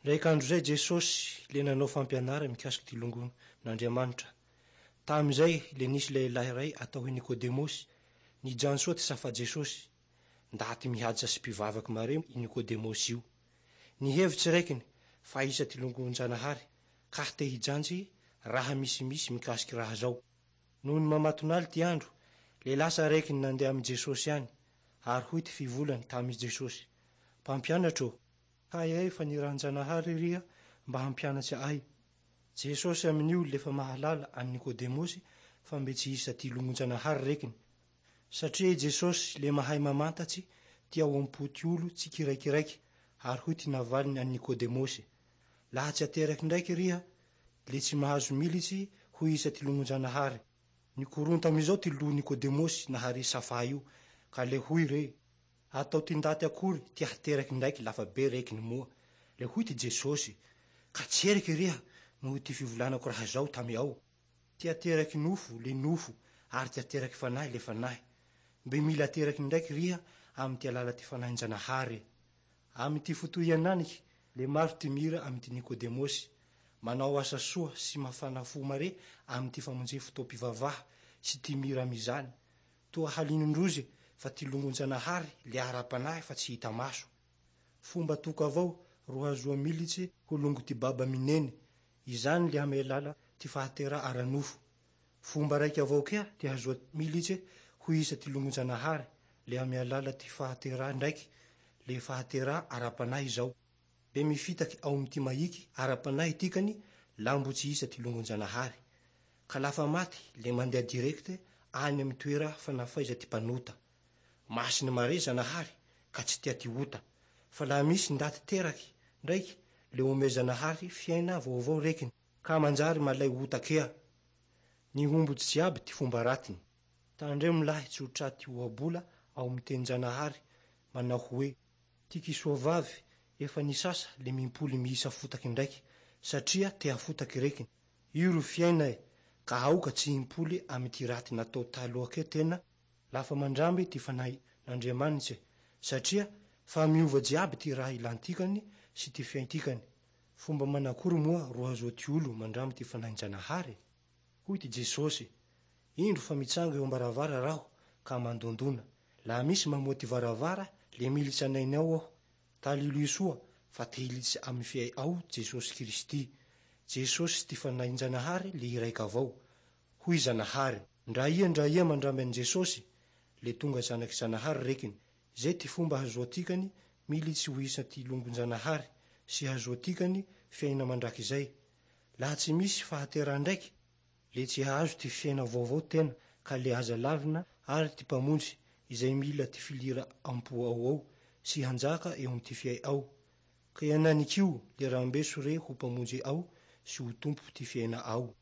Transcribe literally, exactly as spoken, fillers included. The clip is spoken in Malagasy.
Ndraiky andro zay Jesosy le nanao fampianara mikasiky ty longon'Andriamanitra. Tamizay le nisy lehilahy ray atao hoe Nikodemosy nijano soa ty safa Jesosy. Ndaty mihaja sy mpivavaky mare i Nikodemosy io. Nihevitsy raikiny fa isa ty longon-janahary ka te hijanjy raha misimisy mikasiky raha zao. Noho ny mamaton'aly ty andro, le lasa raikiny nandeha amy Jesosy any, ary hoy ty fivolany tamy Jesosy: "Mpampianatro, hay ay fa niran-janahary riha mba hampianatsy ahy." Jesosy amin'io lefa mahalala an'i Nikodemosy fa mbe tsy isa ty longon-janahary rekiny. Satria i Jesosy le mahay mamantatsy ty ao am-po ty olo tsikiraikiraiky, ary hoy ty navaliny an'i Nikodemosy: "Laha tsy ateraky ndraiky riha, le tsy mahazo militsy ho isa ty longon-janahary." Nikoronta amizao ty loha Nikodemosy nahare safa io, ka le hoy re: "Atao ty ndaty akory ty hateraky ndraiky lafa be rekiny moa?" Le hoy ty Jesosy: "Ka tseriky riha noho ty fivolanako raha zao tamy ao. Ty ateraky nofo le nofo, ary ty ateraky fanahy le fanahy. Mbe mila ateraky ndraiky riha amy ty alala ty fanahin-janahary." Amy ty fotoa ananiky le maro ty mira amy ty Nikodemosy manao asa soa sy mafana fo mare amy ty famonje fotoam-pivavaha sy ty mira amizany. Toa halinondrozy fa ty longon-janahary le ara-panahy fa tsy hita maso. Fomba toko avao ro hazoa militsy ho longo ty baba mineny, izany le amy alala ty fahateraha ara-nofo. Fomba raiky avao kea ty hazoa militsy ho isa ty longon-janahary le amy alala ty fahateraha ndraiky, le fahateraha ara-panahy zao. Be mifitaky ao amy ty mahiky ara-panahy tikany lambo tsy isa ty longon-janahary. Ka lafa maty le mandeha direkte any amy toera fanafaiza ty mpanota. Masiny mare Zanahary ka tsy tia ty ota. Fa laha misy ndaty teraky ndraiky le ome Zanahary fiaina vaovao rekiny ka manjary malay ota kea. Nihombotsy jiaby ty fomba ratiny. Tandremo lahy tsy ho traty ohabola ao amy tenin-janahary manao hoe: ty kisoa vavy efa nisasa le mimpoly miisa fotaky ndraiky satria te hafotaky rekiny. Io ro fiaina ka aoka tsy himpoly amy ty raty natao taloha kea tena lafa mandramby ty fanahin'Andriamanitse, satria fa miova jiaby ty raha ilantikany sy ty fiaintikany. Fomba manakory moa ro hazoa ty olo mandramby ty fanahin-janahary? Hoy ty Jesosy: "Indro fa mitsanga eo ambaravara raho ka mandondona. Laha misy mamoa ty varavara le militsy anainy ao aho. Talilo soa fa te hilitsy amy fiay ao Jesosy Kristy. Jesosy ty fanahin-janahary le iraiky avao. Hoy Zanahary: ndra ia ndra ia mandramby an'i Jesosy le tonga zanaky Zanahary rekiny. Zay ty fomba hazoatikany militsy ho isa ty longon-janahary sy hazoatikany fiaina mandrakizay. Laha tsy misy fahateraha ndraiky le tsy hahazo ty fiaina vaovao tena, ka le aza lavina ary ty mpamonjy izay mila ty filira ampo ao ao sy hanjaka eo amy ty fiay ao. Ka iananikio le rambeso re ho mpamonjy ao sy ho tompo ty fiaina ao.